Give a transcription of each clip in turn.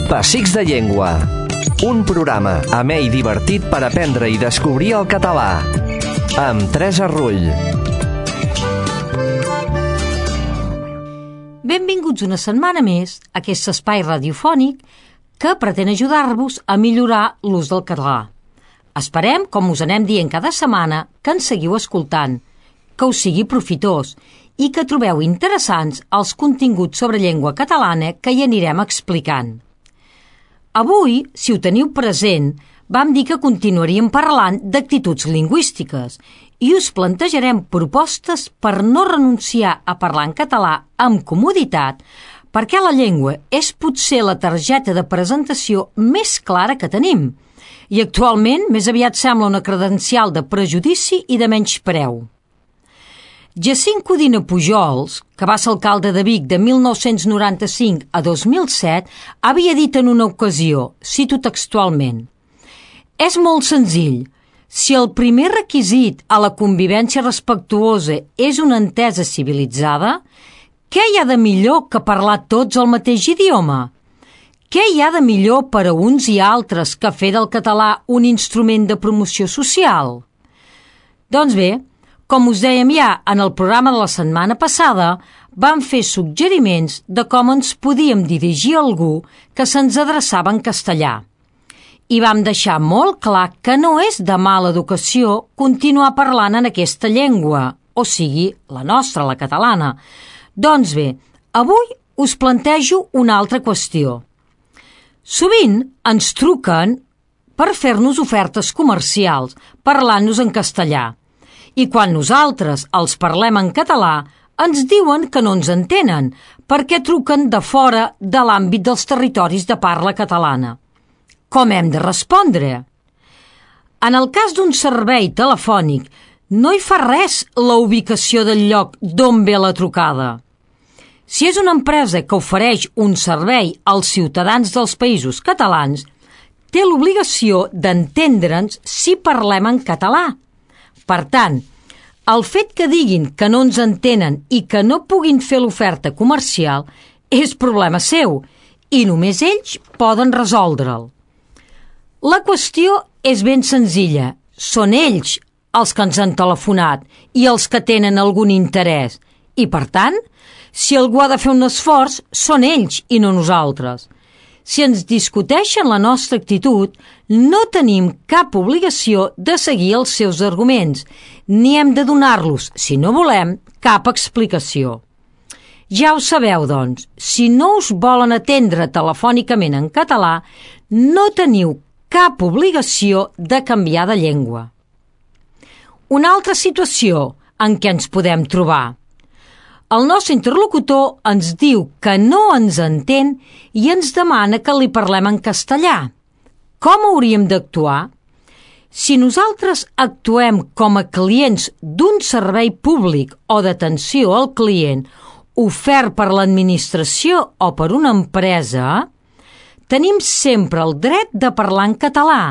Pessics de Llengua. Un programa amè i divertit per aprendre i descobrir el català. Amb Teresa Rull. Benvinguts una setmana més a aquest espai radiofònic que pretén ajudar-vos a millorar l'ús del català. Esperem, com us anem dient cada setmana, que ens seguiu escoltant, que us sigui profitós i que trobeu interessants els continguts sobre llengua catalana que hi anirem explicant. Avui, si ho teniu present, vam dir que continuaríem parlant d'actituds lingüístiques i us plantejarem propostes per no renunciar a parlar en català amb comoditat, perquè la llengua és potser la targeta de presentació més clara que tenim i actualment més aviat sembla una credencial de prejudici i de menyspreu. Jacint Codina Pujols, que va ser alcalde de Vic de 1995 a 2007, havia dit en una ocasió, cito textualment: «És molt senzill. Si el primer requisit a la convivència respectuosa és una entesa civilitzada, què hi ha de millor que parlar tots el mateix idioma? Què hi ha de millor per a uns i altres que fer del català un instrument de promoció social?» Doncs bé, com us dèiem ja en el programa de la setmana passada, vam fer suggeriments de com ens podíem dirigir a algú que se'ns adreçava en castellà. I vam deixar molt clar que no és de mala educació continuar parlant en aquesta llengua, o sigui, la nostra, la catalana. Doncs bé, avui us plantejo una altra qüestió. Sovint ens truquen per fer-nos ofertes comercials, parlant-nos en castellà. I quan nosaltres els parlem en català, ens diuen que no ens entenen, perquè truquen de fora de l'àmbit dels territoris de parla catalana. Com hem de respondre? En el cas d'un servei telefònic, no hi fa res la ubicació del lloc d'on ve la trucada. Si és una empresa que ofereix un servei als ciutadans dels països catalans, té l'obligació d'entendre'ns si parlem en català. Per tant, el fet que diguin que no ens entenen i que no puguin fer l'oferta comercial és problema seu i només ells poden resoldre'l. La qüestió és ben senzilla. Són ells els que ens han telefonat i els que tenen algun interès. I, per tant, si algú ha de fer un esforç, són ells i no nosaltres. Si ens discuteixen la nostra actitud, no tenim cap obligació de seguir els seus arguments, ni hem de donar-los, si no volem, cap explicació. Ja ho sabeu, doncs, si no us volen atendre telefònicament en català, no teniu cap obligació de canviar de llengua. Una altra situació en què ens podem trobar. El nostre interlocutor ens diu que no ens entén i ens demana que li parlem en castellà. Com hauríem d'actuar? Si nosaltres actuem com a clients d'un servei públic o d'atenció al client ofert per l'administració o per una empresa, tenim sempre el dret de parlar en català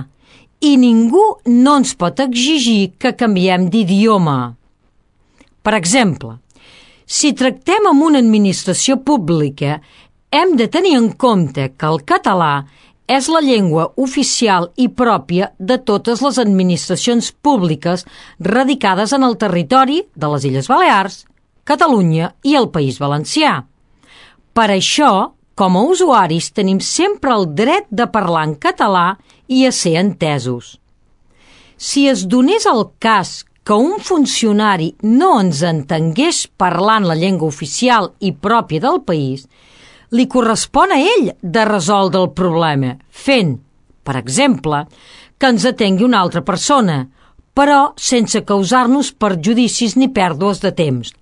i ningú no ens pot exigir que canviem d'idioma. Per exemple, si tractem amb una administració pública, hem de tenir en compte que el català és la llengua oficial i pròpia de totes les administracions públiques radicades en el territori de les Illes Balears, Catalunya i el País Valencià. Per això, com a usuaris, tenim sempre el dret de parlar en català i a ser entesos. Si es donés el cas que un funcionari no ens entengués parlant la llengua oficial i pròpia del país, li correspon a ell de resoldre el problema, fent, per exemple, que ens atengui una altra persona, però sense causar-nos perjudicis ni pèrdues de temps.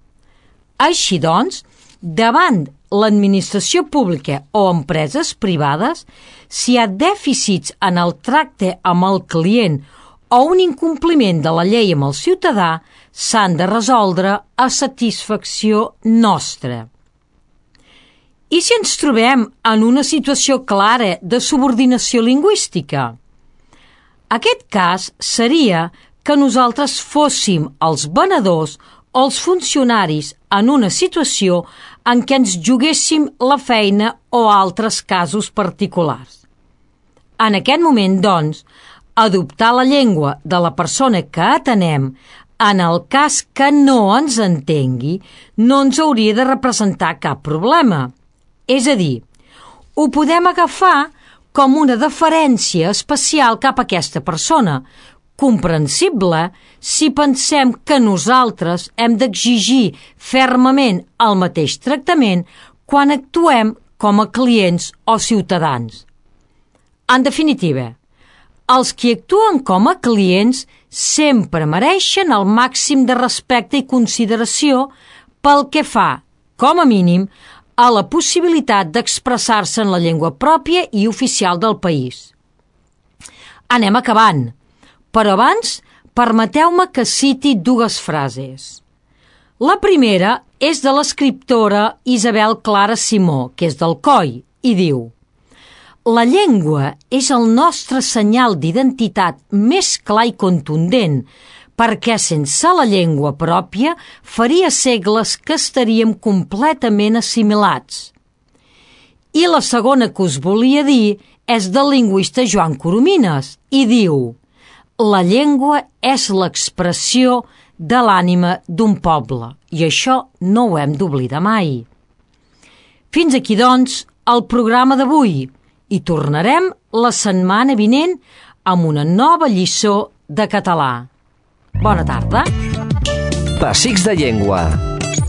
Així doncs, davant l'administració pública o empreses privades, si hi ha dèficits en el tracte amb el client o un incompliment de la llei amb el ciutadà, s'han de resoldre a satisfacció nostra. I si ens trobem en una situació clara de subordinació lingüística? Aquest cas seria que nosaltres fóssim els venedors o els funcionaris en una situació en què ens juguéssim la feina o altres casos particulars. En aquest moment, doncs, adoptar la llengua de la persona que atenem en el cas que no ens entengui no ens hauria de representar cap problema. És a dir, ho podem agafar com una deferència especial cap a aquesta persona, comprensible si pensem que nosaltres hem d'exigir fermament el mateix tractament quan actuem com a clients o ciutadans. En definitiva, els qui actuen com a clients sempre mereixen el màxim de respecte i consideració pel que fa, com a mínim, a la possibilitat d'expressar-se en la llengua pròpia i oficial del país. Anem acabant, però abans permeteu-me que citi dues frases. La primera és de l'escriptora Isabel Clara Simó, que és d'Alcoi, i diu: «La llengua és el nostre senyal d'identitat més clar i contundent, perquè sense la llengua pròpia faria segles que estaríem completament assimilats». I la segona que us volia dir és del lingüista Joan Coromines, i diu: «La llengua és l'expressió de l'ànima d'un poble, i això no ho hem d'oblidar mai». Fins aquí, doncs, el programa d'avui, i tornarem la setmana vinent amb una nova lliçó de català. Bona tarda. Pessics de llengua.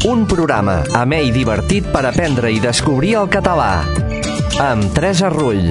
Un programa amè i divertit per aprendre i descobrir el català. Amb Teresa Rull.